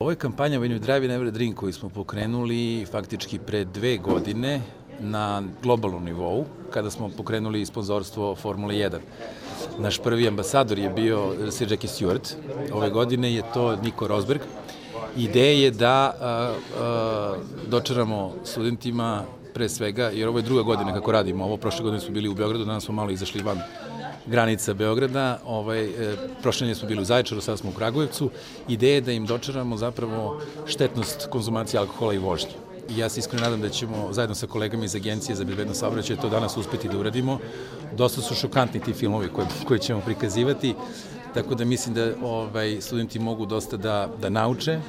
Ovo je kampanja When you drive you never drink koju smo pokrenuli faktički pre 2 godine na globalnom nivou, kada smo pokrenuli sponzorstvo Formule 1. Naš prvi ambasador je bio Sir Jackie Stewart, ove godine je to Nico Rosberg. Ideja je da dočaramo studentima pre svega, jer ovo je 2. godina kako radimo, ovo prošle godine smo bili u Beogradu, danas smo malo izašli van granica Beograda, prošle godine smo bili u Zaječaru, sada smo u Kragujevcu. Ideja je da im dočaramo zapravo štetnost konzumacije alkohola i vožnje. I ja se iskreno nadam da ćemo zajedno sa kolegama iz Agencije za bezbednost saobraćaja to danas uspeti da uradimo. Dosta su šokantni ti filmovi koje ćemo prikazivati, tako da mislim da studenti mogu dosta da nauče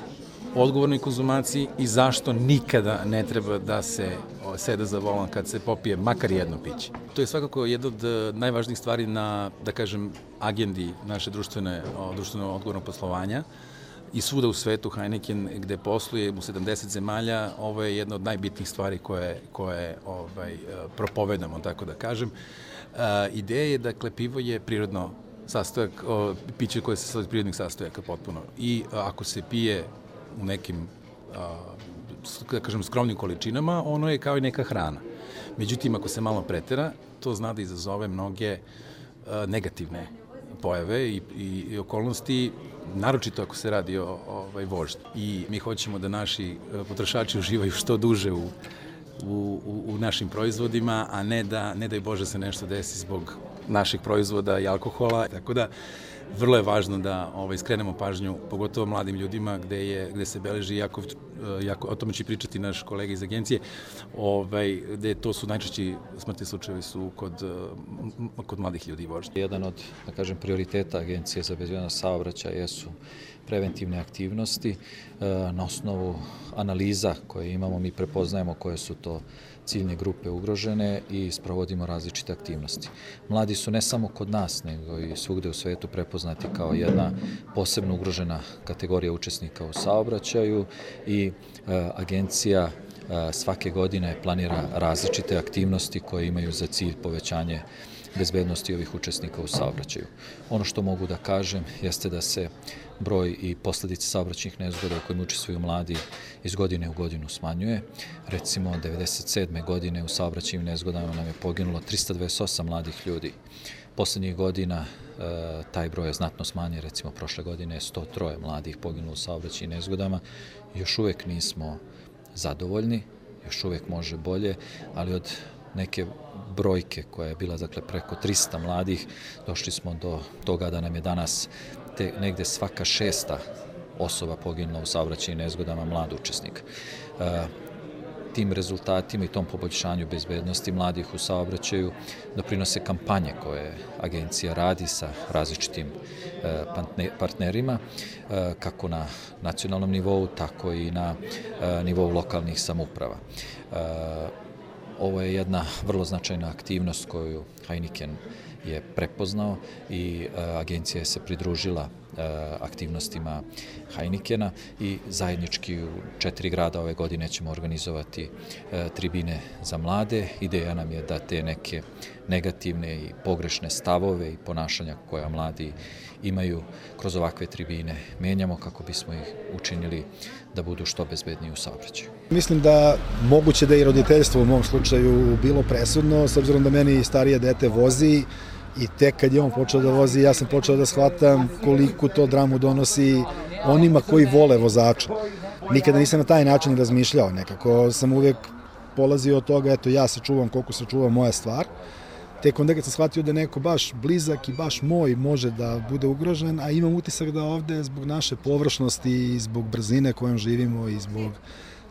o odgovornoj konzumaciji i zašto nikada ne treba da se seda za volan kad se popije makar jedno piće. To je svakako jedna od najvažnijih stvari na, da kažem, agendi naše društveno odgovornog poslovanja. I svuda u svetu Heineken gde posluje u 70 zemalja, ovo je jedna od najbitnijih stvari koje propovedamo, tako da kažem. Ideja je, dakle, pivo je prirodno sastojak, piće koje se sastoji od prirodnih sastojaka potpuno. I ako se pije u nekim, da kažem, skromnim količinama, ono je kao i neka hrana. Međutim, ako se malo pretera, to zna da izazove mnoge negativne pojave i okolnosti, naročito ako se radi o vožnji. I mi hoćemo da naši potrošači uživaju što duže u našim proizvodima, a ne daj Bože se nešto desi zbog naših proizvoda i alkohola. Tako da, vrlo je važno da skrenemo pažnju, pogotovo mladim ljudima, gde se beleži, o tome će pričati naš kolega iz Agencije, gde to su najčešći smrtni slučajevi su kod mladih ljudi vožnje. Jedan od, da kažem, prioriteta Agencije za bezbednost saobraćaja jesu preventivne aktivnosti. Na osnovu analiza koje imamo, mi prepoznajemo koje su to ciljne grupe ugrožene i sprovodimo različite aktivnosti. Mladi su ne samo kod nas, nego i svugde u svetu prepoznati kao jedna posebno ugrožena kategorija učesnika u saobraćaju i Agencija svake godine planira različite aktivnosti koje imaju za cilj povećanje bezbednosti ovih učesnika u saobraćaju. Ono što mogu da kažem jeste da se broj i posledice saobraćajnih nezgoda u kojima učestvuju mladi iz godine u godinu smanjuje. Recimo, 1997. godine u saobraćajnim nezgodama nam je poginulo 328 mladih ljudi. Poslednjih godina taj broj je znatno smanjen, recimo prošle godine je 103 mladih poginulo u saobraćajnim nezgodama. Još uvek nismo zadovoljni, još uvek može bolje, ali od neke brojke koja je bila, dakle, preko 300 mladih, došli smo do toga da nam je danas negde svaka 6. osoba poginula u saobraćajnim nezgodama mlad učesnik. Tim rezultatima i tom poboljšanju bezbednosti mladih u saobraćaju doprinose kampanje koje Agencija radi sa različitim partnerima, kako na nacionalnom nivou, tako i na nivou lokalnih samouprava. Ovo je jedna vrlo značajna aktivnost koju Heineken je prepoznao i Agencija se pridružila aktivnostima Heinekena i zajednički u 4 grada ove godine ćemo organizovati tribine za mlade. Ideja nam je da te neke negativne i pogrešne stavove i ponašanja koja mladi imaju kroz ovakve tribine menjamo kako bismo ih učinili da budu što bezbedniji u saobraćaju. Mislim da moguće da i roditeljstvo u mom slučaju bilo presudno, s obzirom da meni starije dete vozi i tek kad je on počeo da vozi, ja sam počeo da shvatam koliko to dramu donosi onima koji vole vozača. Nikada nisam na taj način razmišljao, nekako sam uvek polazio od toga, eto ja se čuvam koliko se čuva moja stvar. Tek onda kad sam shvatio da neko baš blizak i baš moj može da bude ugrožen, a imam utisak da ovde zbog naše površnosti i zbog brzine kojom živimo i zbog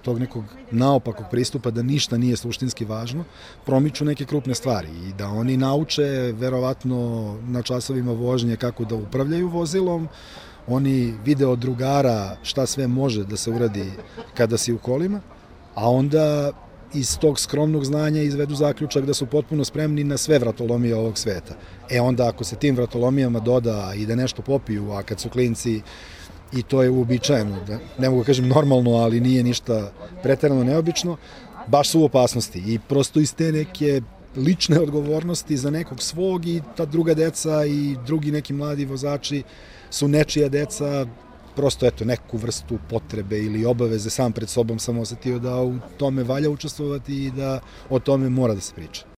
tog nekog naopakog pristupa da ništa nije suštinski važno, promiču neke krupne stvari i da oni nauče verovatno na časovima vožnje kako da upravljaju vozilom, oni vide od drugara šta sve može da se uradi kada si u kolima, a onda iz tog skromnog znanja izvedu zaključak da su potpuno spremni na sve vratolomije ovog sveta. Onda ako se tim vratolomijama doda i da nešto popiju, a kad su klinci, i to je uobičajeno, ne mogu da kažem normalno, ali nije ništa preterano neobično, baš su u opasnosti i prosto iz te neke lične odgovornosti za nekog svog i ta druga deca i drugi neki mladi vozači su nečija deca, prosto eto neku vrstu potrebe ili obaveze sam pred sobom sam osetio da u tome valja učestvovati i da o tome mora da se priča.